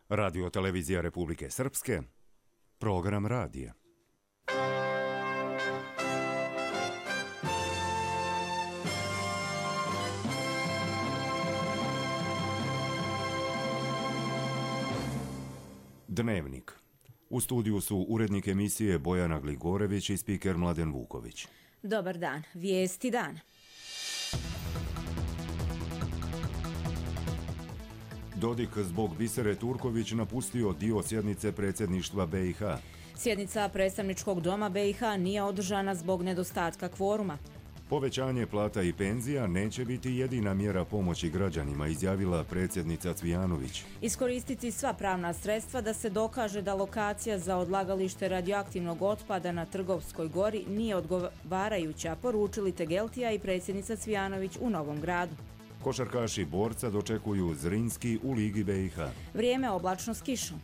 Radio Televizija Republike Srpske, program radija. Dnevnik. U studiju su urednik emisije Bojana Gligorević i spiker Mladen Vuković. Dobar dan. Vijesti dana. Dodik zbog Bisere Turković napustio dio sjednice predsjedništva BiH. Sjednica predstavničkog doma BiH nije održana zbog nedostatka kvoruma. Povećanje plata i penzija neće biti jedina mjera pomoći građanima, izjavila predsjednica Cvijanović. Iskoristiti sva pravna sredstva da se dokaže da lokacija za odlagalište radioaktivnog otpada na Trgovskoj gori nije odgovarajuća, poručili Tegeltija i predsjednica Cvijanović u Novom Gradu. Košarkaši Borca dočekuju Zrinski u Ligi BiH. Vrijeme oblačno s kišom.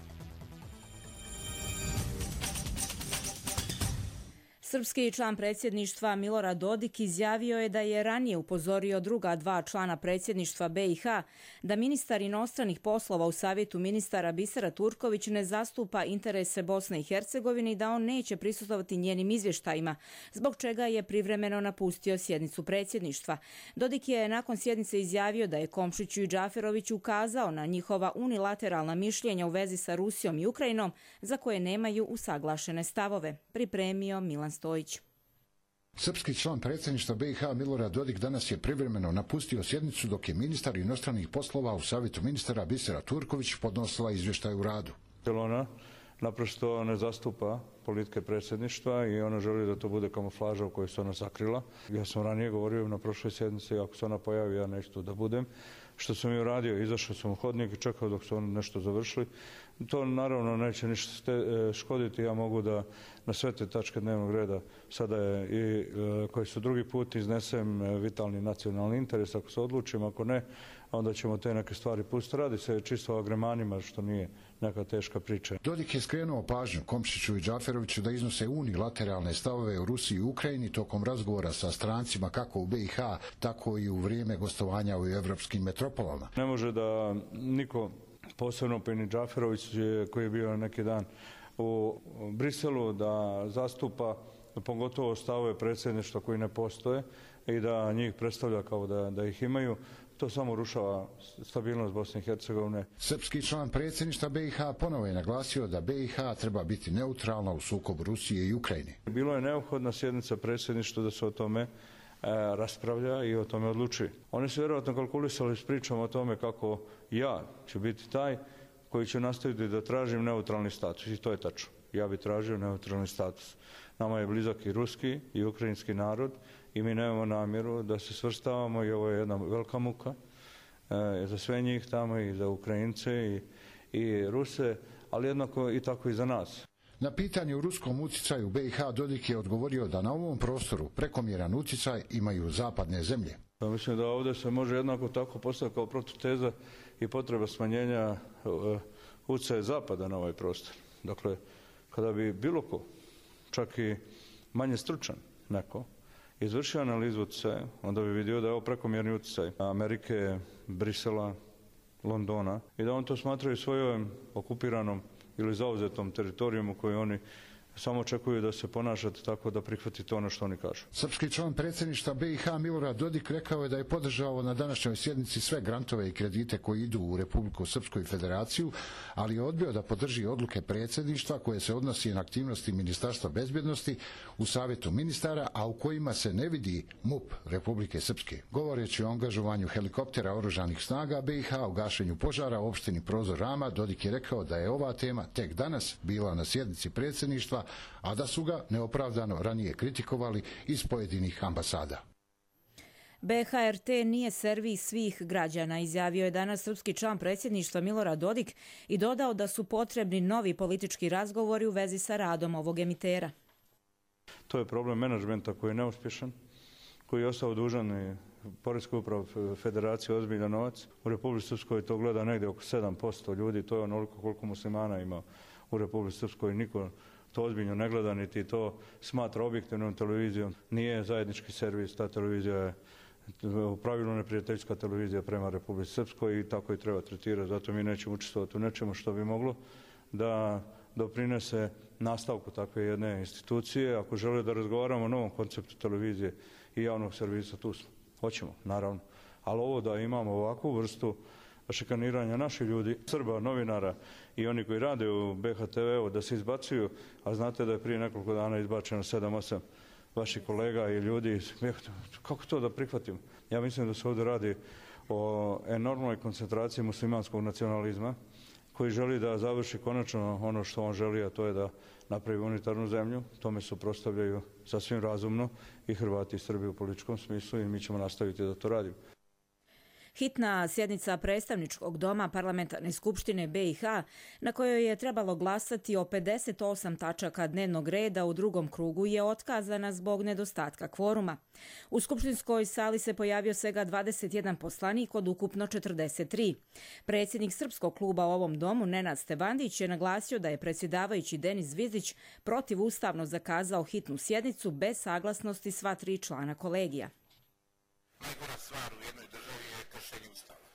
Srpski član predsjedništva Milorad Dodik izjavio je da je ranije upozorio druga dva člana predsjedništva BiH da ministar inostranih poslova u savjetu ministara Bisera Turković ne zastupa interese Bosne i Hercegovine i da on neće prisustvovati njenim izvještajima, zbog čega je privremeno napustio sjednicu predsjedništva. Dodik je nakon sjednice izjavio da je Komšiću i Džaferoviću ukazao na njihova unilateralna mišljenja u vezi sa Rusijom i Ukrajinom za koje nemaju usaglašene stavove. Pripremio Milan Stojić. Srpski član predsjedništva BiH Milorad Dodik danas je privremeno napustio sjednicu dok je ministar inostranih poslova u savjetu ministara Bisera Turković podnosila izvještaj u radu. Ona naprosto ne zastupa politike predsjedništva i ona želi da to bude kamuflaža u kojoj se ona sakrila. Ja sam ranije govorio na prošloj sjednici, ako se ona pojavi, ja neću tu da budem. Što sam i uradio, izašao sam u hodnik i čekao dok su oni nešto završili. To naravno neće ništa škoditi, ja mogu da na sve te tačke dnevnog reda sada je i koji su drugi put iznesem vitalni nacionalni interes, ako se odlučim, ako ne, onda ćemo te neke stvari pustiti. Radi se čisto o agremanima, što nije neka teška priča. Dodik je skrenuo pažnju Komšiću i Džaferoviću da iznose unilateralne stavove u Rusiji i Ukrajini tokom razgovora sa strancima kako u BiH, tako i u vrijeme gostovanja u evropskim metropolama. Ne može da niko, posebno Peni Džaferović koji je bio neki dan u Briselu, da zastupa pogotovo stavove predsjedništva koji ne postoje i da njih predstavlja kao da ih imaju. To samo rušava stabilnost Bosne i Hercegovine. Srpski član predsjedništva BiH ponovo je naglasio da BiH treba biti neutralna u sukobu Rusije i Ukrajine. Bilo je neophodna sjednica predsjedništva da se o tome raspravlja i o tome odlučuje. Oni su vjerojatno kalkulisali s pričom o tome kako ja ću biti taj koji će nastaviti da tražim neutralni status i to je tačno. Ja bih tražio neutralni status. Nama je blizak i ruski i ukrajinski narod i mi nemamo namjeru da se svrstavamo i ovo je jedna velika muka za sve njih tamo i za Ukrajince i Ruse, ali jednako i tako i za nas. Na pitanje o ruskom utjecaju BiH Dodik je odgovorio da na ovom prostoru prekomjeran utjecaj imaju zapadne zemlje. Mislim da ovdje se može jednako tako postaviti kao protuteza i potreba smanjenja utjecaja zapada na ovaj prostor. Dakle, kada bi bilo ko, čak i manje stručan neko, izvršio analizu utjecaja, onda bi vidio da je ovo prekomjerni utjecaj Amerike, Brisela, Londona i da on to smatraju svojom okupiranom ili zauzetom teritorijom u kojoj oni samo očekuju da se ponašate tako da prihvatite ono što oni kažu. Srpski član predsjedništva BiH Milorad Dodik rekao je da je podržao na današnjoj sjednici sve grantove i kredite koji idu u Republiku Srpsku i Federaciju, ali je odbio da podrži odluke predsjedništva koje se odnosi na aktivnosti Ministarstva bezbjednosti u savjetu ministara, a u kojima se ne vidi MUP Republike Srpske. Govoreći o angažovanju helikoptera oružanih snaga BiH u gašenju požara u opštini Prozor Rama, Dodik je rekao da je ova tema tek danas bila na sjednici predsjedništva, a da su ga neopravdano ranije kritikovali iz pojedinih ambasada. BHRT nije servis svih građana, izjavio je danas srpski član predsjedništva Milorad Dodik i dodao da su potrebni novi politički razgovori u vezi sa radom ovog emitera. To je problem menadžmenta koji je neuspješan, koji je ostao dužan i Poreskoj upravi Federacije ozbiljan novac. U Republici Srpskoj to gleda negdje oko 7% ljudi, to je onoliko koliko muslimana ima u Republici Srpskoj, niko to ozbiljno ne gleda, niti to smatra objektivnom televizijom. Nije zajednički servis, ta televizija je u pravilu neprijateljska televizija prema Republici Srpskoj i tako i treba tretirati. Zato mi nećemo učestvovati u nečemu što bi moglo da doprinese nastavku takve jedne institucije. Ako žele da razgovaramo o novom konceptu televizije i javnog servisa, tu smo. Hoćemo, naravno. Ali ovo da imamo ovakvu vrstu šikaniranja naših ljudi, Srba, novinara i oni koji rade u BHTV-u da se izbacuju, a znate da je prije nekoliko dana izbačeno 7-8 vaših kolega i ljudi, kako to da prihvatimo? Ja mislim da se ovdje radi o enormnoj koncentraciji muslimanskog nacionalizma koji želi da završi konačno ono što on želi, a to je da napravi unitarnu zemlju. Tome suprotstavljaju sasvim razumno i Hrvati i Srbi u političkom smislu i mi ćemo nastaviti da to radimo. Hitna sjednica predstavničkog doma Parlamentarne skupštine BiH, na kojoj je trebalo glasati o 58 tačaka dnevnog reda u drugom krugu, je otkazana zbog nedostatka kvoruma. U skupštinskoj sali se pojavio svega 21 poslanik od ukupno 43. Predsjednik srpskog kluba u ovom domu, Nenad Stevandić, je naglasio da je predsjedavajući Denis Zvizdić protivustavno zakazao hitnu sjednicu bez saglasnosti sva 3 člana kolegija. Najgora stvar u jednoj državi je kršenje Ustava.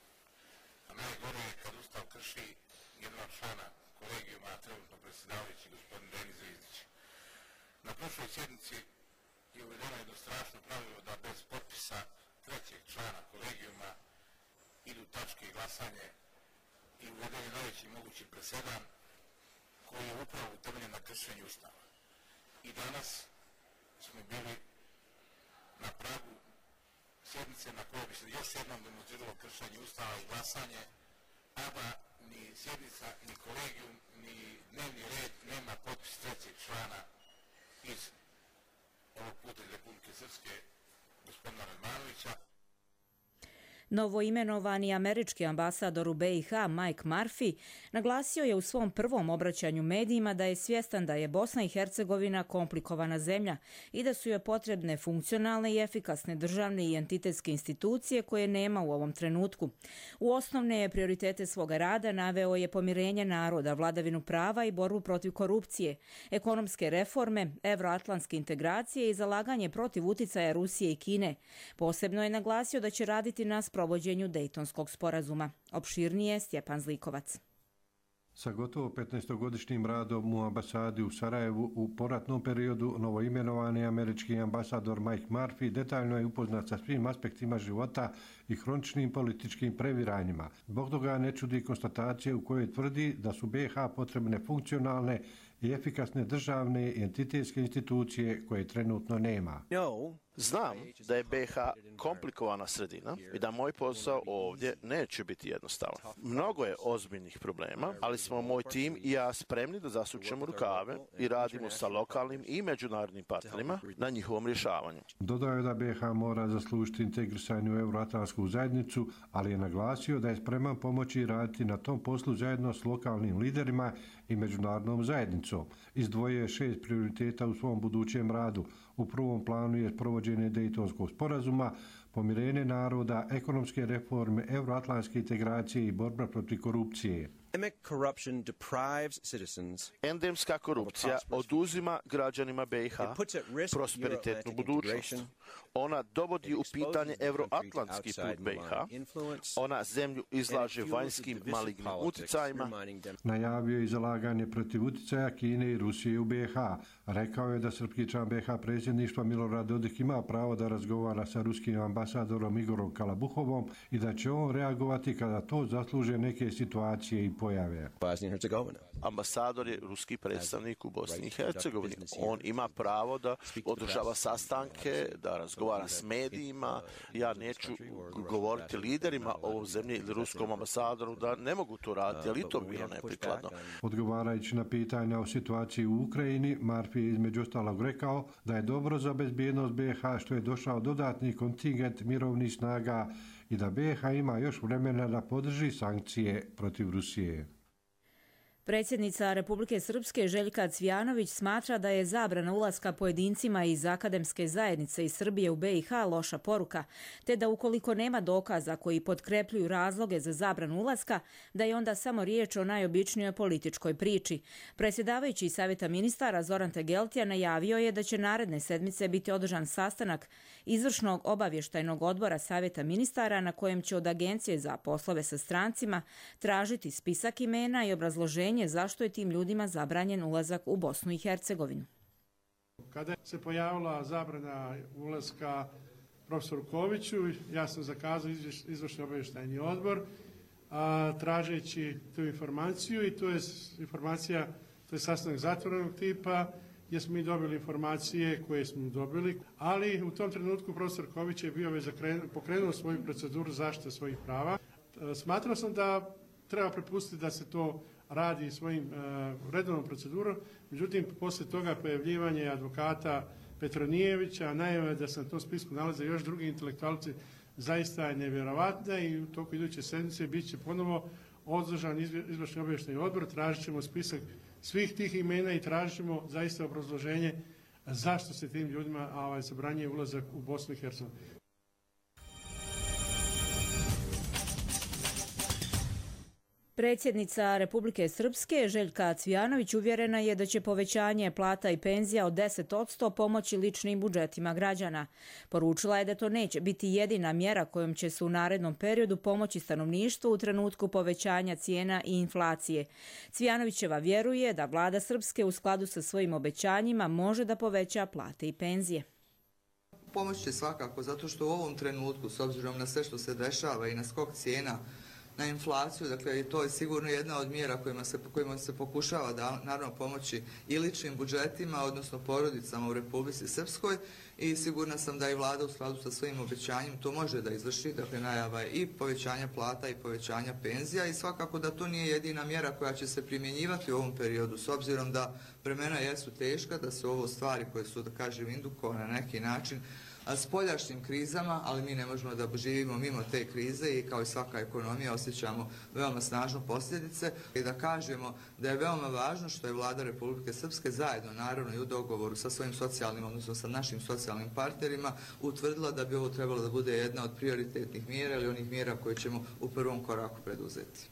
A najgore je kad Ustav krši jednog člana kolegijuma, trenutno predsjedavajući gospodin Denis Zvizdić. Na prošloj sjednici je uvedeno jedno strašno pravilo da bez potpisa trećeg člana kolegijuma idu tačke i glasanje i uveden je najveći mogući presedan koji je upravo utemeljen na kršenju Ustava. I danas smo bili na pragu sjednice na kojoj bi se još jednom demonstriralo kršenje Ustava i glasanje, a da ni sjednica, ni kolegijum, ni dnevni red nema potpis trećeg člana iz ovog puta iz Republike Srpske, gospodina Radmanovića. Novoimenovani američki ambasador u BiH Mike Murphy naglasio je u svom prvom obraćanju medijima da je svjestan da je Bosna i Hercegovina komplikovana zemlja i da su joj potrebne funkcionalne i efikasne državne i entitetske institucije koje nema u ovom trenutku. U osnovne prioritete svoga rada naveo je pomirenje naroda, vladavinu prava i borbu protiv korupcije, ekonomske reforme, evroatlantske integracije i zalaganje protiv uticaja Rusije i Kine. Posebno je naglasio da će raditi na provođenju Dejtonskog sporazuma. Opširnije Stjepan Zlikovac. Sa gotovo 15-godišnjim radom u ambasadi u Sarajevu u poratnom periodu novoimenovani američki ambasador Mike Murphy detaljno je upoznat sa svim aspektima života i hroničnim političkim previranjima. Zbog toga ne čudi konstatacije u kojoj tvrdi da su BiH potrebne funkcionalne i efikasne državne i entitetske institucije koje trenutno nema. Znam da je BiH komplikovana sredina i da moj posao ovdje neće biti jednostavan. Mnogo je ozbiljnih problema, ali smo moj tim i ja spremni da zasučemo rukave i radimo sa lokalnim i međunarodnim partnerima na njihovom rješavanju. Dodao je da BiH mora zaslužiti integrisanje u Euroatlantsku zajednicu, ali je naglasio da je spreman pomoći i raditi na tom poslu zajedno s lokalnim liderima i međunarodnom zajednicom. Izdvojio je 6 prioriteta u svom budućem radu. U prvom planu je provođenje Dejtonskog sporazuma, pomirenje naroda, ekonomske reforme, evroatlantske integracije i borba protiv korupcije. Endemska korupcija oduzima građanima BiH prosperitetnu budućnost. Ona dovodi u pitanje evroatlantski put BiH. Ona zemlju izlaže vanjskim malignim uticajima. Najavio je i zalaganje protiv uticaja Kine i Rusije u BiH. Rekao je da srpski član BiH predsjedništva Milorad Dodik ima pravo da razgovara sa ruskim ambasadorom Igorom Kalabuhovom i da će on reagovati kada to zasluže neke situacije i pojave. Ambasador je ruski predstavnik u Bosni i Hercegovini. On ima pravo da održava sastanke, da razgovara s medijima. Ja neću govoriti liderima ovom zemlji ili ruskom ambasadoru da ne mogu to raditi, ali i to bi bilo neprikladno. Odgovarajući na pitanja o situaciji u Ukrajini, Murphy je između ostalog rekao da je dobro za bezbjednost BiH što je došao dodatni kontingent mirovnih snaga i da BiH ima još vremena da podrži sankcije protiv Rusije. Predsjednica Republike Srpske Željka Cvijanović smatra da je zabrana ulaska pojedincima iz akademske zajednice iz Srbije u BiH loša poruka, te da ukoliko nema dokaza koji potkrepljuju razloge za zabranu ulaska, da je onda samo riječ o najobičnijoj političkoj priči. Predsjedavajući Savjeta ministara Zoran Tegeltija najavio je da će naredne sedmice biti održan sastanak izvršnog obavještajnog odbora Savjeta ministara na kojem će od Agencije za poslove sa strancima tražiti spisak imena i obrazloženje zašto je tim ljudima zabranjen ulazak u Bosnu i Hercegovinu. Kada se pojavila zabrana ulaska profesoru Koviću, ja sam zakazao izvršni obavještajni odbor tražeći tu informaciju i to je informacija, to je sastanak zatvorenog tipa gdje smo mi dobili informacije koje smo dobili, ali u tom trenutku profesor Ković je bio već pokrenuo svoju proceduru zaštite svojih prava. Smatrao sam da treba prepustiti da se to radi svojim redovnom procedurom, međutim, poslije toga pojavljivanje advokata Petronijevića, najave da se na tom spisku nalaze još drugi intelektualci, zaista je nevjerovatna i u toku iduće sedmice bit će ponovo održan izvršni obavještajni odbor, tražit ćemo spisak svih tih imena i tražit ćemo zaista obrazloženje zašto se tim ljudima zabranjuje ulazak u Bosnu i Hercegovinu. Predsjednica Republike Srpske Željka Cvijanović uvjerena je da će povećanje plata i penzija od 10% pomoći ličnim budžetima građana. Poručila je da to neće biti jedina mjera kojom će se u narednom periodu pomoći stanovništvu u trenutku povećanja cijena i inflacije. Cvijanovićeva vjeruje da vlada Srpske u skladu sa svojim obećanjima može da poveća plate i penzije. Pomoć će svakako, zato što u ovom trenutku, s obzirom na sve što se dešava i na skok cijena, na inflaciju, dakle to je sigurno jedna od mjera kojima se pokušava da naravno pomoći i ličnim budžetima, odnosno porodicama u Republici Srpskoj i sigurna sam da i vlada u skladu sa svojim obećanjem to može da izvrši, dakle najava i povećanja plata i povećanja penzija i svakako da to nije jedina mjera koja će se primjenjivati u ovom periodu, s obzirom da vremena jesu teška, da su ovo stvari koje su, da kažem, indukovane na neki način s poljašnjim krizama, ali mi ne možemo da živimo mimo te krize i kao i svaka ekonomija osjećamo veoma snažno posljedice i da kažemo da je veoma važno što je vlada Republike Srpske zajedno, naravno i u dogovoru sa svojim socijalnim, odnosno sa našim socijalnim partnerima, utvrdila da bi ovo trebalo da bude jedna od prioritetnih mjera ili onih mjera koje ćemo u prvom koraku preduzeti.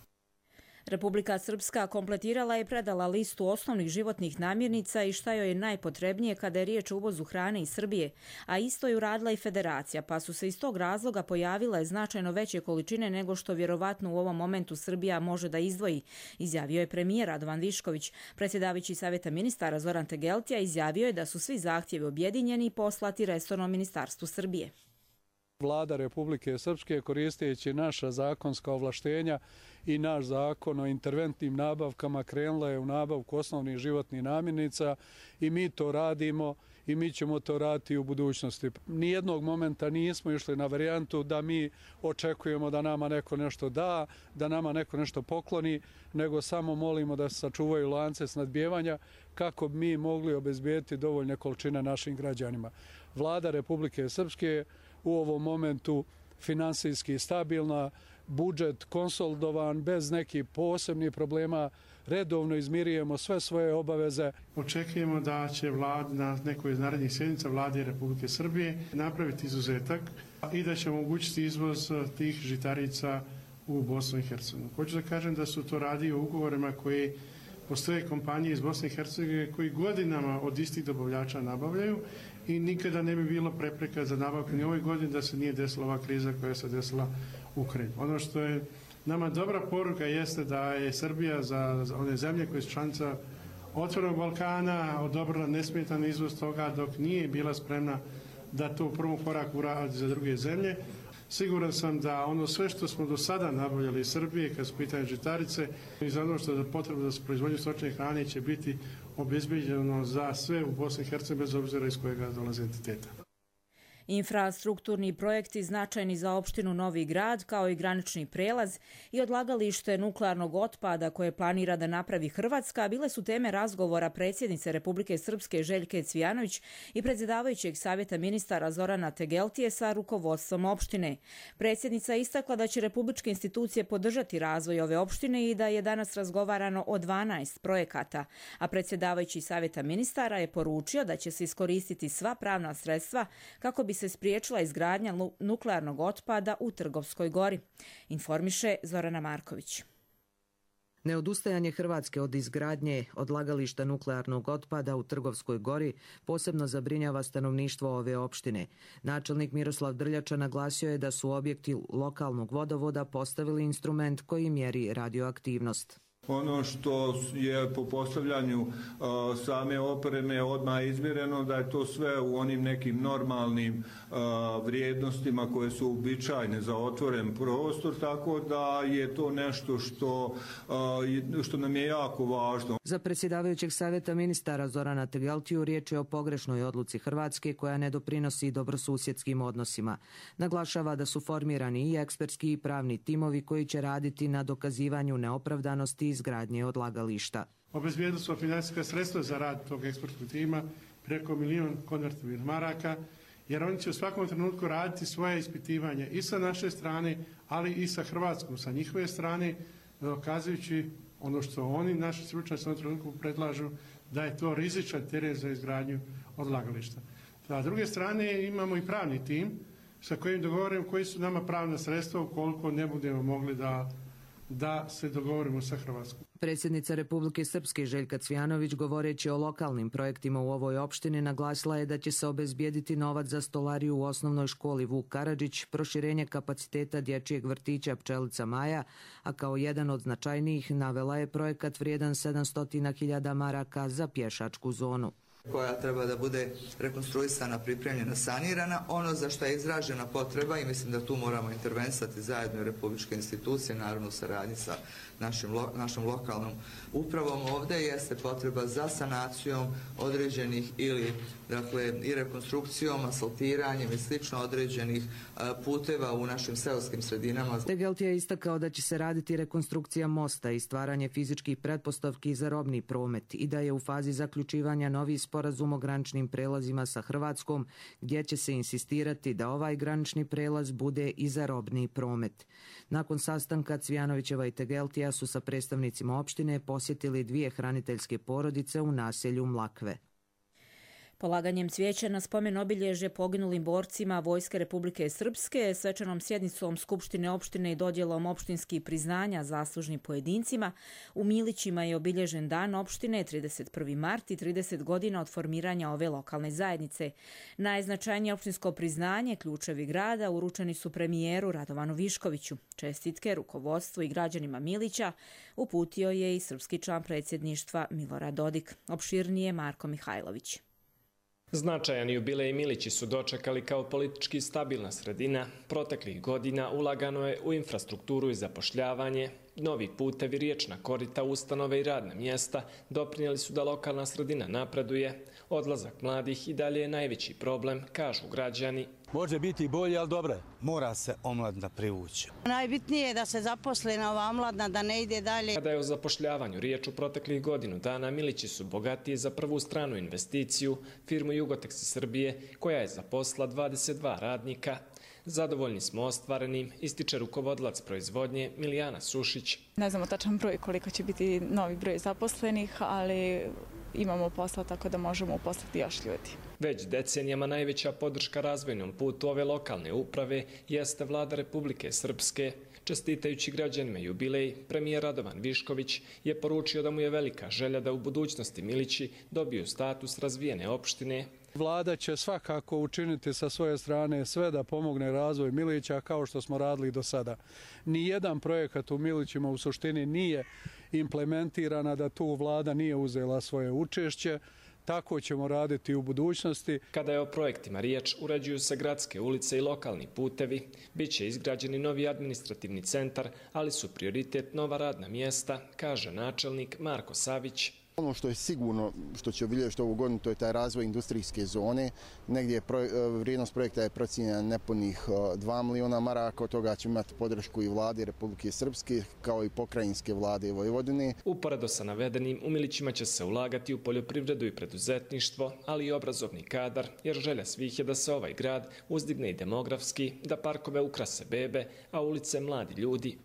Republika Srpska kompletirala i predala listu osnovnih životnih namirnica i šta joj je najpotrebnije kada je riječ o uvozu hrane iz Srbije, a isto je uradila i Federacija, pa su se iz tog razloga pojavile značajno veće količine nego što vjerovatno u ovom momentu Srbija može da izdvoji, izjavio je premijer Radovan Višković. Predsjedavajući Savjeta ministara Zoran Tegeltija izjavio je da su svi zahtjevi objedinjeni i poslati resornom ministarstvu Srbije. Vlada Republike Srpske, koristeći naša zakonska ovlaštenja i naš zakon o interventnim nabavkama, krenula je u nabavku osnovnih životnih namirnica i mi to radimo i mi ćemo to raditi u budućnosti. Nijednog momenta nismo išli na varijantu da mi očekujemo da nama neko nešto da, da nama neko nešto pokloni, nego samo molimo da se sačuvaju lance snabdijevanja kako bi mi mogli obezbijeti dovoljne količine našim građanima. Vlada Republike Srpske u ovom momentu finansijski stabilna, budžet konsolidovan, bez nekih posebnih problema, redovno izmirujemo sve svoje obaveze. Očekujemo da će vlada na nekoj iz narednih sjednica vlade Republike Srbije napraviti izuzetak i da će omogućiti izvoz tih žitarica u Bosnu i Hercegovinu. Hoću da kažem da su to radi o ugovorima koji postoje kompanije iz Bosne i Hercegovine koji godinama od istih dobavljača nabavljaju i nikada ne bi bilo prepreka za nabavku ni ovoj godini da se nije desila ova kriza koja se desila u Ukrajini. Ono što je nama dobra poruka jeste da je Srbija za one zemlje koje su članica Otvorenog Balkana odobrila nesmetan izvoz toga dok nije bila spremna da to u prvom koraku uradi za druge zemlje. Siguran sam da ono sve što smo do sada nabavljali iz Srbije kad su pitanje žitarice i za ono što je potrebno za proizvodnju stočne hrane će biti obezbeđeno za sve u Bosni i Hercegovini bez obzira iz kojega dolaze entiteta. Infrastrukturni projekti značajni za opštinu Novi Grad, kao i granični prelaz i odlagalište nuklearnog otpada koje planira da napravi Hrvatska, bile su teme razgovora predsjednice Republike Srpske Željke Cvijanović i predsjedavajućeg savjeta ministara Zorana Tegeltije sa rukovodstvom opštine. Predsjednica je istakla da će republičke institucije podržati razvoj ove opštine i da je danas razgovarano o 12 projekata, a predsjedavajući savjeta ministara je poručio da će se iskoristiti sva pravna sredstva kako bi se spriječila izgradnja nuklearnog otpada u Trgovskoj gori. Informiše Zorana Marković. Neodustajanje Hrvatske od izgradnje odlagališta nuklearnog otpada u Trgovskoj gori posebno zabrinjava stanovništvo ove opštine. Načelnik Miroslav Drljača naglasio je da su objekti lokalnog vodovoda postavili instrument koji mjeri radioaktivnost. Ono što je po postavljanju same opreme odmah izmjereno da je to sve u onim nekim normalnim vrijednostima koje su uobičajene za otvoren prostor, tako da je to nešto što nam je jako važno. Za predsjedavajućeg savjeta ministara Zorana Tegeltiju riječ je o pogrešnoj odluci Hrvatske koja ne doprinosi dobrosusjedskim odnosima. Naglašava da su formirani i ekspertski i pravni timovi koji će raditi na dokazivanju neopravdanosti izgradnje odlagališta. Obezbijedili smo financijska sredstva za rad tog ekspertskog tima preko 1 milion konvertibilnih maraka, jer oni će u svakom trenutku raditi svoje ispitivanje i sa naše strane, ali i sa Hrvatskom, sa njihove strane, dokazujući ono što oni, naši stručnjaci u ovom trenutku predlažu, da je to rizičan teren za izgradnju odlagališta. A s druge strane imamo i pravni tim sa kojim dogovorimo koji su nama pravna sredstva ukoliko ne budemo mogli da se dogovorimo sa Hrvatskom. Predsjednica Republike Srpske Željka Cvijanović, govoreći o lokalnim projektima u ovoj opštini, naglasila je da će se obezbijediti novac za stolariju u osnovnoj školi Vuk Karadžić, proširenje kapaciteta dječjeg vrtića Pčelica Maja, a kao jedan od značajnijih navela je projekat vrijedan 700.000 maraka za pješačku zonu, koja treba da bude rekonstruisana, pripremljena, sanirana. Ono za što je izražena potreba, i mislim da tu moramo intervenisati zajedno republičke institucije, naravno u saradnji sa našom lokalnom upravom ovdje, jeste potreba za sanacijom određenih ili i rekonstrukcijom, asfaltiranjem i slično određenih puteva u našim seoskim sredinama. Tegeltija je istakao da će se raditi rekonstrukcija mosta i stvaranje fizičkih pretpostavki za robni promet i da je u fazi zaključivanja novi sporazum o graničnim prelazima sa Hrvatskom, gdje će se insistirati da ovaj granični prelaz bude i za robni promet. Nakon sastanka Cvijanovićeva i Tegeltija su sa predstavnicima opštine posjetili 2 hraniteljske porodice u naselju Mlakve. Polaganjem cvijeća na spomen obilježje poginulim borcima Vojske Republike Srpske, svečanom sjednicom Skupštine opštine i dodjelom opštinskih priznanja zaslužnim pojedincima, u Milićima je obilježen dan opštine 31. mart i 30 godina od formiranja ove lokalne zajednice. Najznačajnije opštinsko priznanje, ključevi grada, uručeni su premijeru Radovanu Viškoviću. Čestitke rukovodstvu i građanima Milića uputio je i srpski član predsjedništva Milorad Dodik. Opširnije Marko Mihajlović. Značajan jubilej Milići su dočekali kao politički stabilna sredina. Proteklih godina ulagano je u infrastrukturu i zapošljavanje. Novi putevi, riječna korita, ustanove i radna mjesta doprinijeli su da lokalna sredina napreduje. Odlazak mladih i dalje je najveći problem, kažu građani. Može biti bolje, ali dobro, mora se omladina privući. Najbitnije je da se zaposle ova omladina, da ne ide dalje. Kada je o zapošljavanju riječ u proteklih godinu dana, Milići su bogatiji za prvu stranu investiciju, firmu Jugoteksi Srbije, koja je zaposlila 22 radnika. Zadovoljni smo ostvarenim, ističe rukovodilac proizvodnje Milijana Sušić. Ne znamo tačan broj koliko će biti novi broj zaposlenih, ali imamo posla tako da možemo uposliti još ljudi. Već decenijama najveća podrška razvojnom putu ove lokalne uprave jeste vlada Republike Srpske. Čestitajući građanima jubilej, premijer Radovan Višković je poručio da mu je velika želja da u budućnosti Milići dobiju status razvijene opštine. Vlada će svakako učiniti sa svoje strane sve da pomogne razvoj Milića kao što smo radili do sada. Nijedan projekat u Milićima u suštini nije implementiran, a da tu vlada nije uzela svoje učešće. Tako ćemo raditi u budućnosti. Kada je o projektima riječ, uređuju se gradske ulice i lokalni putevi. Biće izgrađeni novi administrativni centar, ali su prioritet nova radna mjesta, kaže načelnik Marko Savić. Ono što je sigurno, što će obilježiti ovu godinu, to je taj razvoj industrijske zone. Negdje vrijednost projekta je procijenjena nepunih 2 miliona maraka, od toga će imati podršku i vlade Republike Srpske, kao i pokrajinske vlade Vojvodine. Uporedo sa navedenim, u Milićima će se ulagati u poljoprivredu i preduzetništvo, ali i obrazovni kadar, jer želja svih je da se ovaj grad uzdigne i demografski, da parkove ukrase bebe, a ulice mladi ljudi.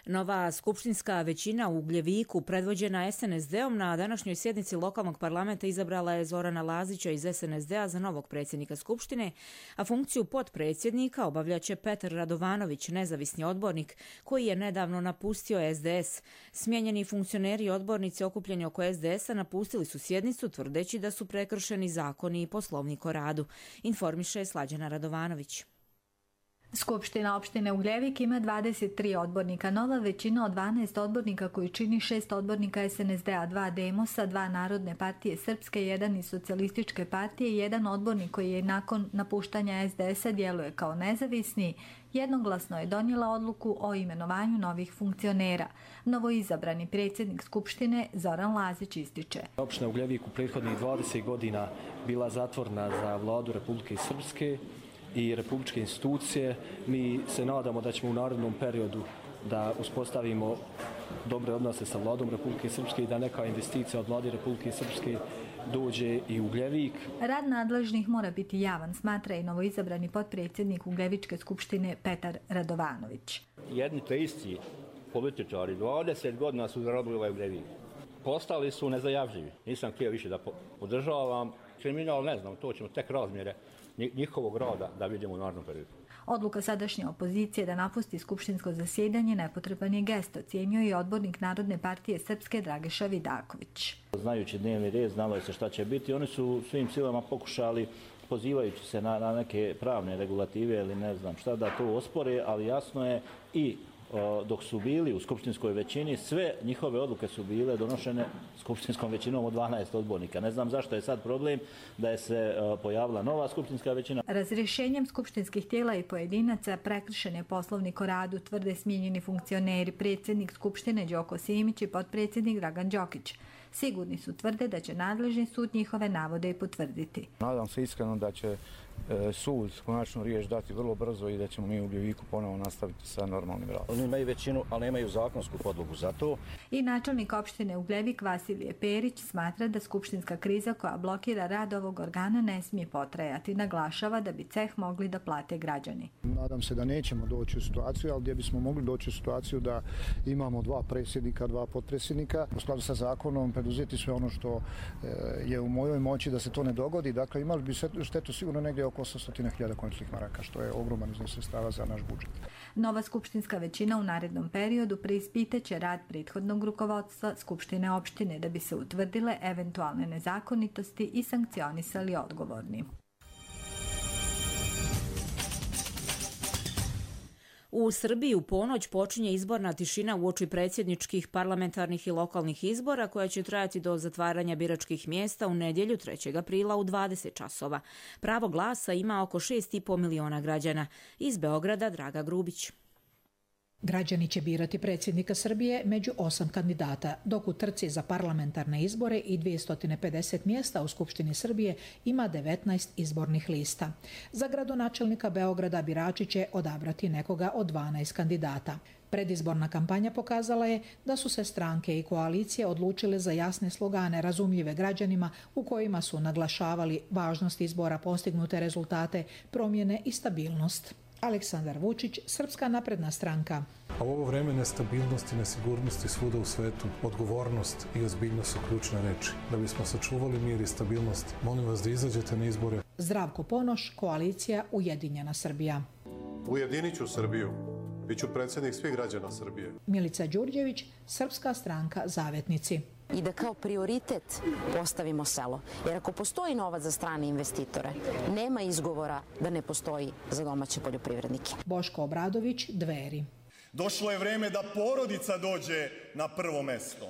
Nova skupštinska većina u Ugljeviku, predvođena SNSD-om, na današnjoj sjednici lokalnog parlamenta izabrala je Zorana Lazića iz SNSD-a za novog predsjednika Skupštine, a funkciju potpredsjednika obavljaće Petar Radovanović, nezavisni odbornik, koji je nedavno napustio SDS. Smijenjeni funkcioneri i odbornici okupljeni oko SDS-a napustili su sjednicu, tvrdeći da su prekršeni zakoni i poslovnik o radu, informiše Slađana Radovanović. Skupština opštine Ugljevik ima 23 odbornika. Nova većina od 12 odbornika koju čini 6 odbornika SNSD-a, 2 Demosa, 2 Narodne partije Srpske, 1 iz Socijalističke partije, 1 odbornik koji je nakon napuštanja SDS-a djeluje kao nezavisni, jednoglasno je donijela odluku o imenovanju novih funkcionera. Novoizabrani predsjednik Skupštine Zoran Lazić ističe. Opština Ugljevik u prethodnih 20 godina bila zatvorena za vladu Republike Srpske i republičke institucije. Mi se nadamo da ćemo u narednom periodu da uspostavimo dobre odnose sa vladom Republike Srpske i da neka investicija od vlade Republike Srpske dođe i u Ugljevik. Rad nadležnih mora biti javan, smatra i novoizabrani potpredsjednik Ugljevičke skupštine Petar Radovanović. Jedni te isti političari 20 godina su zarobili ovaj Ugljevik. Postali su nezajavljivi. Nisam htio više da podržavam kriminal, ne znam, to ćemo tek razmjere njihovog rada da vidimo u narednom periodu. Odluka sadašnje opozicije da napusti skupštinsko zasjedanje nepotreban je gest, ocijenio i odbornik Narodne partije Srpske Dragiša Vidaković. Znajući dnevni red, znalo je se šta će biti. Oni su svim silama pokušali, pozivajući se na neke pravne regulative ili ne znam šta, da to ospore, ali jasno je i dok su bili u skupštinskoj većini, sve njihove odluke su bile donošene skupštinskom većinom od 12 odbornika. Ne znam zašto je sad problem da je se pojavila nova skupštinska većina. Razrješenjem skupštinskih tijela i pojedinaca prekršen je poslovnik o radu, tvrde smijenjeni funkcioneri, predsjednik Skupštine Đoko Simić i potpredsjednik Dragan Đokić. Sigurni su, tvrde, da će nadležni sud njihove navode i potvrditi. Nadam se iskreno da će sud konačnu riječ dati vrlo brzo i da ćemo mi u Ugljeviku ponovo nastaviti sa normalnim radom. Oni imaju većinu, ali nemaju zakonsku podlogu za to. I načelnik opštine Ugljevik Vasilije Perić smatra da skupštinska kriza koja blokira rad ovog organa ne smije potrajati. Naglašava da bi ceh mogli da plate građani. Nadam se da nećemo doći u situaciju, ali gdje bismo mogli doći u situaciju da imamo 2 predsjednika, 2 potpredsjednika. U skladu sa zakonom preduzeti sve ono što je u mojoj moći da se to ne dogodi. Dakle, imali bi štetu sigurno negdje oko 800.000 končnih maraka, što je ogroman iznos sredstava za naš budžet. Nova skupštinska većina u narednom periodu preispitaće rad prethodnog rukovodstva Skupštine opštine da bi se utvrdile eventualne nezakonitosti i sankcionisali odgovorni. U Srbiji u ponoć počinje izborna tišina uoči predsjedničkih, parlamentarnih i lokalnih izbora koja će trajati do zatvaranja biračkih mjesta u nedjelju 3. aprila u 20 časova. Pravo glasa ima oko 6,5 miliona građana. Iz Beograda Draga Grubić. Građani će birati predsjednika Srbije među 8 kandidata, dok u trci za parlamentarne izbore i 250 mjesta u Skupštini Srbije ima 19 izbornih lista. Za gradonačelnika Beograda birači će odabrati nekoga od 12 kandidata. Predizborna kampanja pokazala je da su se stranke i koalicije odlučile za jasne slogane razumljive građanima u kojima su naglašavali važnost izbora, postignute rezultate, promjene i stabilnost. Aleksandar Vučić, Srpska napredna stranka. A u ovo vreme nestabilnosti i nesigurnosti svuda u svetu, odgovornost i ozbiljnost su ključne reči. Da bismo sačuvali mir i stabilnost, molim vas da izađete na izbore. Zdravko Ponoš, koalicija Ujedinjena Srbija. Ujedinit ću Srbiju. Biću predsjednik svih građana Srbije. Milica Đurđević, Srpska stranka Zavetnici. I da kao prioritet postavimo selo. Jer ako postoji novac za strane investitore, nema izgovora da ne postoji za domaće poljoprivrednike. Boško Obradović, Dveri. Došlo je vreme da porodica dođe na prvo mesto.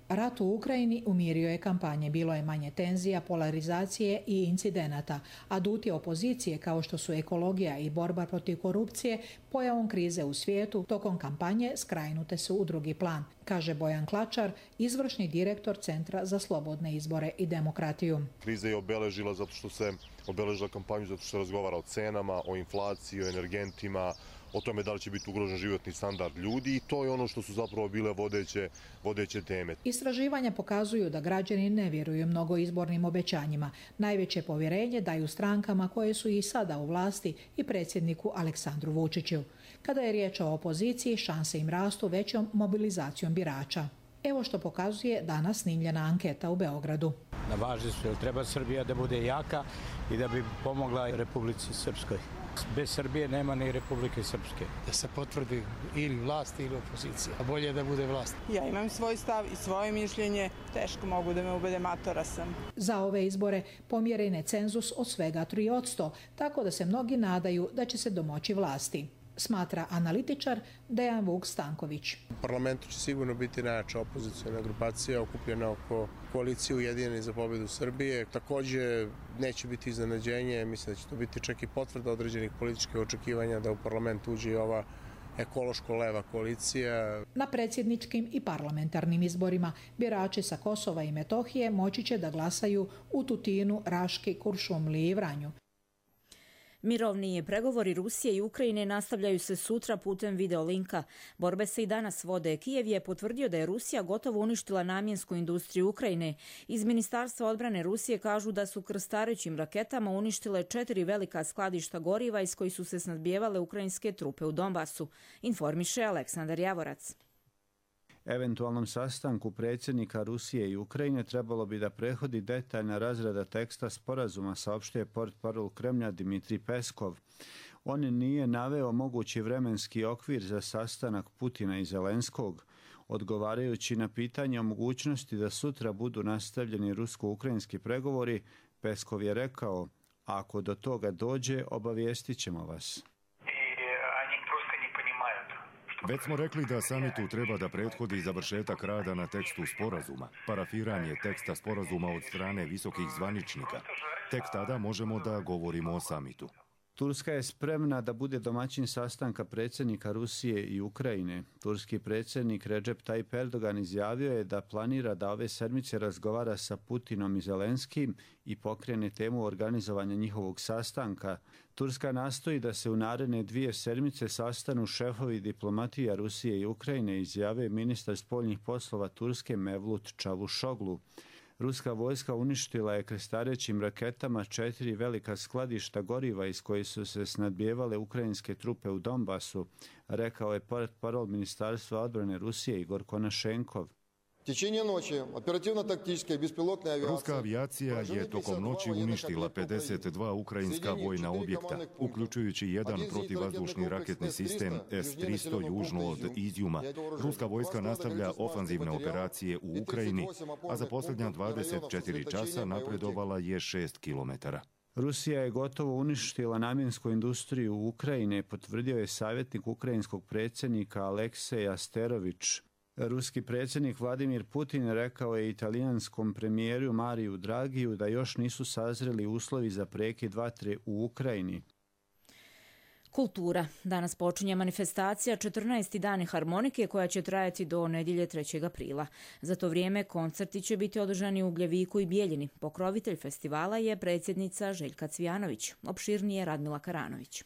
Rat u Ukrajini umirio je kampanje, bilo je manje tenzija, polarizacije i incidenata. Aduti opozicije kao što su ekologija i borba protiv korupcije, pojavom krize u svijetu, tokom kampanje skrajnute su u drugi plan, kaže Bojan Klačar, izvršni direktor Centra za slobodne izbore i demokratiju. Kriza je obeležila kampanju zato što se razgovara o cenama, o inflaciji, o energentima, o tome da li će biti ugrožen životni standard ljudi i to je ono što su zapravo bile vodeće teme. Istraživanja pokazuju da građani ne vjeruju mnogo izbornim obećanjima. Najveće povjerenje daju strankama koje su i sada u vlasti i predsjedniku Aleksandru Vučiću. Kada je riječ o opoziciji, šanse im rastu većom mobilizacijom birača. Evo što pokazuje danas snimljena anketa u Beogradu. Na važni su, treba Srbija da bude jaka i da bi pomogla Republici Srpskoj. Bez Srbije nema ni Republike Srpske. Da se potvrdi ili vlast ili opozicija, a bolje je da bude vlast. Ja imam svoj stav i svoje mišljenje, teško mogu da me ubede, matora sam. Za ove izbore pomjeren je cenzus od svega 3%, tako da se mnogi nadaju da će se domoći vlasti, smatra analitičar Dejan Vuk Stanković. U parlamentu će sigurno biti najjača opozicijona grupacija okupljena oko koalicije Ujedinjeni za pobjedu Srbije. Također neće biti iznenađenje, mislim da će to biti čak i potvrda određenih političkih očekivanja da u parlament uđe i ova ekološko-leva koalicija. Na predsjedničkim i parlamentarnim izborima birači sa Kosova i Metohije moći će da glasaju u Tutinu, Raški, Kuršumliji i Vranju. Mirovni pregovori Rusije i Ukrajine nastavljaju se sutra putem videolinka. Borbe se i danas vode. Kijev je potvrdio da je Rusija gotovo uništila namjensku industriju Ukrajine. Iz Ministarstva odbrane Rusije kažu da su krstarećim raketama uništile 4 velika skladišta goriva iz kojih su se snabdijevale ukrajinske trupe u Donbasu, informiše Aleksandar Javorac. Eventualnom sastanku predsjednika Rusije i Ukrajine trebalo bi da prethodi detaljna razrada teksta sporazuma, saopštio je portparol Kremlja Dmitrij Peskov. On nije naveo mogući vremenski okvir za sastanak Putina i Zelenskog. Odgovarajući na pitanje o mogućnosti da sutra budu nastavljeni rusko-ukrajinski pregovori, Peskov je rekao: "Ako do toga dođe, obavijestit ćemo vas." Već smo rekli da samitu treba da prethodi završetak rada na tekstu sporazuma, parafiranje teksta sporazuma od strane visokih zvaničnika. Tek tada možemo da govorimo o samitu. Turska je spremna da bude domaćin sastanka predsjednika Rusije i Ukrajine. Turski predsjednik Recep Tayyip Erdogan izjavio je da planira da ove sedmice razgovara sa Putinom i Zelenskim i pokrene temu organizovanja njihovog sastanka. Turska nastoji da se u naredne 2 sedmice sastanu šefovi diplomatija Rusije i Ukrajine, izjavio ministar spoljnih poslova Turske Mevlut Čavuşoglu. Ruska vojska uništila je krstarećim raketama 4 velika skladišta goriva iz kojih su se snabdijevale ukrajinske trupe u Donbasu, rekao je portparol Ministarstva odbrane Rusije Igor Konašenkov. Ruska avijacija je tokom noći uništila 52 ukrajinska vojna objekta, uključujući jedan protivvazdušni raketni sistem S-300 južno od Izjuma. Ruska vojska nastavlja ofanzivne operacije u Ukrajini, a za posljednja 24 časa napredovala je 6 kilometara. Rusija je gotovo uništila namjensku industriju u Ukrajini, potvrdio je savjetnik ukrajinskog predsjednika Aleksej Asterović. Ruski predsjednik Vladimir Putin rekao je italijanskom premijeru Mariju Dragiju da još nisu sazreli uslovi za prekid vatre u Ukrajini. Kultura. Danas počinje manifestacija 14. dani harmonike koja će trajati do nedjelje 3. aprila. Za to vrijeme koncerti će biti održani u Gljeviku i Bijeljini. Pokrovitelj festivala je predsjednica Željka Cvijanović. Opširnije Radmila Karanović.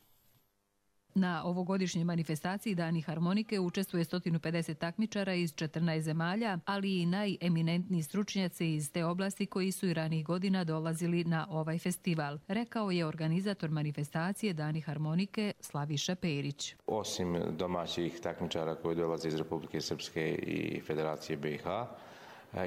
Na ovogodišnjoj manifestaciji Dani harmonike učestvuje 150 takmičara iz 14 zemalja, ali i najeminentniji stručnjaci iz te oblasti koji su i ranih godina dolazili na ovaj festival, rekao je organizator manifestacije Dani harmonike Slaviša Perić. Osim domaćih takmičara koji dolaze iz Republike Srpske i Federacije BiH,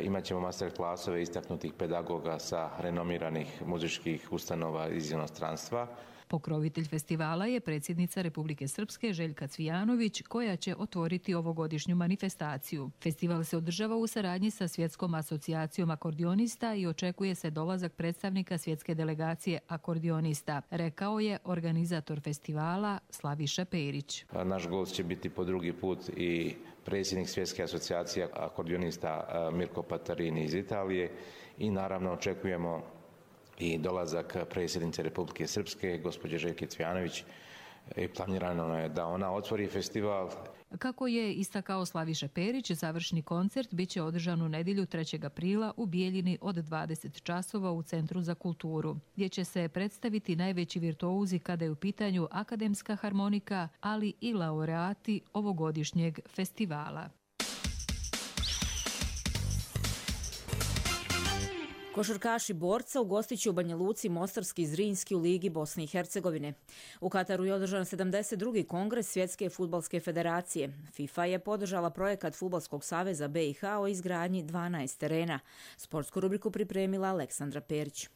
imat ćemo master klasove istaknutih pedagoga sa renomiranih muzičkih ustanova iz inostranstva. Pokrovitelj festivala je predsjednica Republike Srpske Željka Cvijanović, koja će otvoriti ovogodišnju manifestaciju. Festival se održava u saradnji sa Svjetskom asocijacijom akordionista i očekuje se dolazak predstavnika svjetske delegacije akordionista, rekao je organizator festivala Slaviša Perić. Naš gost će biti po drugi put i predsjednik Svjetske asocijacije akordionista Mirko Patarini iz Italije i naravno očekujemo i dolazak predsjednice Republike Srpske, gospođe Željke Cvijanović, i planirano je da ona otvori festival. Kako je istakao Slaviša Perić, završni koncert biće održan u nedjelju 3. aprila u Bijeljini od 20 časova u Centru za kulturu, gdje će se predstaviti najveći virtuozi kada je u pitanju akademska harmonika, ali i laureati ovogodišnjeg festivala. Košarkaši Borca ugostit će u Banja Luci Mostarski i Zrinski u Ligi Bosne i Hercegovine. U Kataru je održan 72. kongres Svjetske fudbalske federacije. FIFA je podržala projekat Fudbalskog saveza BiH o izgradnji 12 terena. Sportsku rubriku pripremila Aleksandra Perić.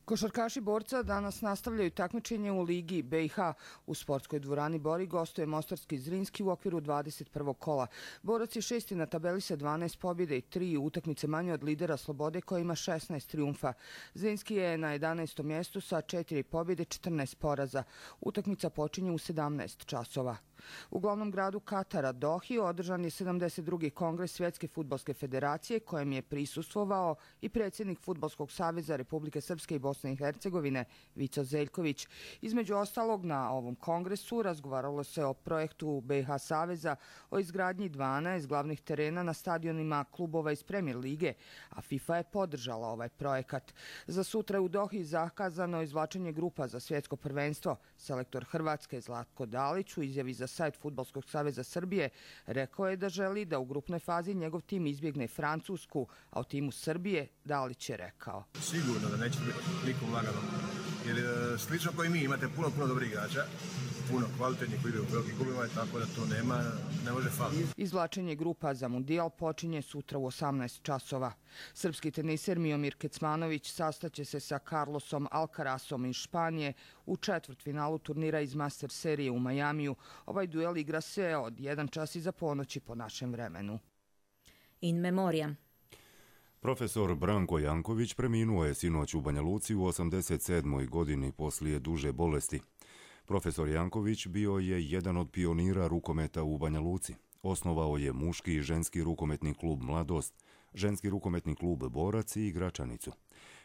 Košarkaši Borca danas nastavljaju takmičenje u Ligi BiH. U sportskoj dvorani Bori gostuje Mostarski i Zrinski u okviru 21. kola. Borac je 6. na tabeli sa 12 pobjede i 3 utakmice manje od lidera Slobode koja ima 16 trijumfa. Zrinski je na 11. mjestu sa 4 pobjede, 14 poraza. Utakmica počinje u 17 časova. U glavnom gradu Katara, Dohi, održan je 72. kongres Svjetske fudbalske federacije kojem je prisustvovao i predsjednik Fudbalskog saveza Republike Srpske i Bosne i Hercegovine Vico Zeljković. Između ostalog, na ovom kongresu razgovaralo se o projektu BiH saveza o izgradnji 12 glavnih terena na stadionima klubova iz Premier lige, a FIFA je podržala ovaj projekat. Za sutra u Dohi zakazano izvlačenje grupa za svjetsko prvenstvo. Selektor Hrvatske Zlatko Dalić u izjavi za sajt Fudbalskog saveza Srbije rekao je da želi da u grupnoj fazi njegov tim izbjegne Francusku, a u timu Srbije Dalić je rekao: Sigurno da neće biti nikom lagano, jer slično koji mi imate puno dobrih igrača, puno kvalitetnih koji idu u velikim klubima, tako da to ne može faliti. Izvlačenje grupa za mundijal počinje sutra u 18 časova. Srpski teniser Miomir Kecmanović sastaće se sa Carlosom Alcarasom iz Španije u četvrtfinalu turnira iz Master serije u Majamiju. Ovaj duel igra se od 1 čas iza ponoći po našem vremenu. In memoriam. Profesor Branko Janković preminuo je sinoć u Banja Luci u 87. godini poslije duže bolesti. Profesor Janković bio je jedan od pionira rukometa u Banja Luci. Osnovao je muški i ženski rukometni klub Mladost, ženski rukometni klub Borac i Gračanicu.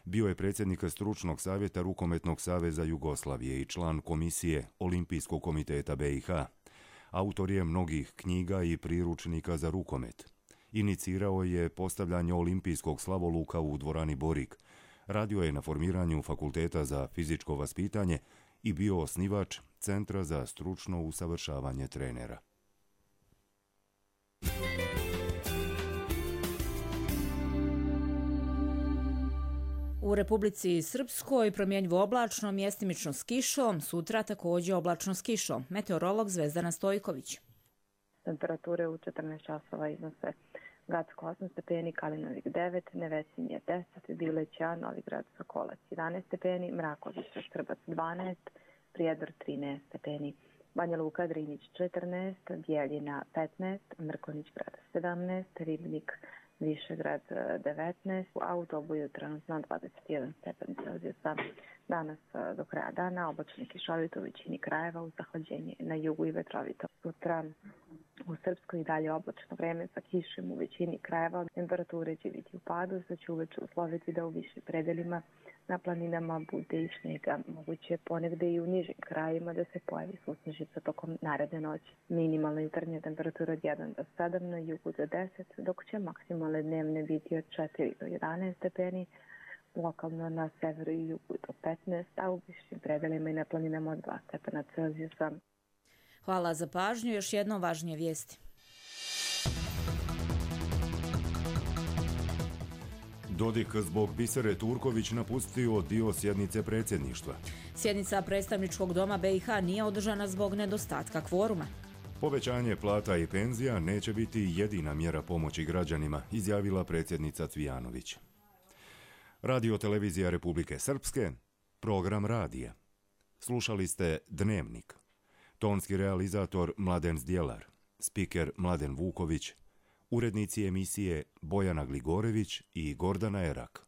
Bio je predsjednik stručnog savjeta Rukometnog saveza Jugoslavije i član komisije Olimpijskog komiteta BiH. Autor je mnogih knjiga i priručnika za rukomet. Inicirao je postavljanje olimpijskog slavoluka u dvorani Borik. Radio je na formiranju Fakulteta za fizičko vaspitanje i bio osnivač Centra za stručno usavršavanje trenera. U Republici Srpskoj promjenjivo oblačno, mjestimično s kišom, sutra također oblačno s kišom. Meteorolog Zvezdana Stojković. Temperature u 14 časova iznose Gacko 8 stepeni, Kalinovik 9, Nevesinje 10, Bileća, Novigrad, Sokolac 11 stepeni, Mraković, Štrbac 12, Prijedor 13 stepeni, Banja Luka, Drinić 14, Bijeljina 15, Mrkonić grad 17, Ribnik, Višegrad 19, a u Dobu je trenutno 21 stepen Celzijusa. Danas do kraja dana oblačno kišovito u većini krajeva, uz zahlađenje na jugu i vetrovito. Sutra u Srpskoj i dalje oblačno vreme sa kišem u većini krajeva. Temperature će biti u padu, sad će uveče usloviti da u višim predelima na planinama bude i snijega. Moguće ponegde i u nižim krajima da se pojavi susnežica tokom naredne noći. Minimalna jutarnja temperatura od 1 do 7, na jugu do 10, dok će maksimalne dnevne biti od 4 do 11 stepeni, lokalno na severu i jugu do 15, a u višim predelima i na planinama od 2 stepena Celzijusa. Hvala za pažnju. Još jednom važnije vijesti. Dodik zbog Bisere Turković napustio dio sjednice predsjedništva. Sjednica predstavničkog doma BiH nije održana zbog nedostatka kvoruma. Povećanje plata i penzija neće biti jedina mjera pomoći građanima, izjavila predsjednica Cvijanović. Radio televizija Republike Srpske, program radija. Slušali ste Dnevnik. Tonski realizator Mladen Zdjelar, spiker Mladen Vuković, urednici emisije Bojana Gligorević i Gordana Erak.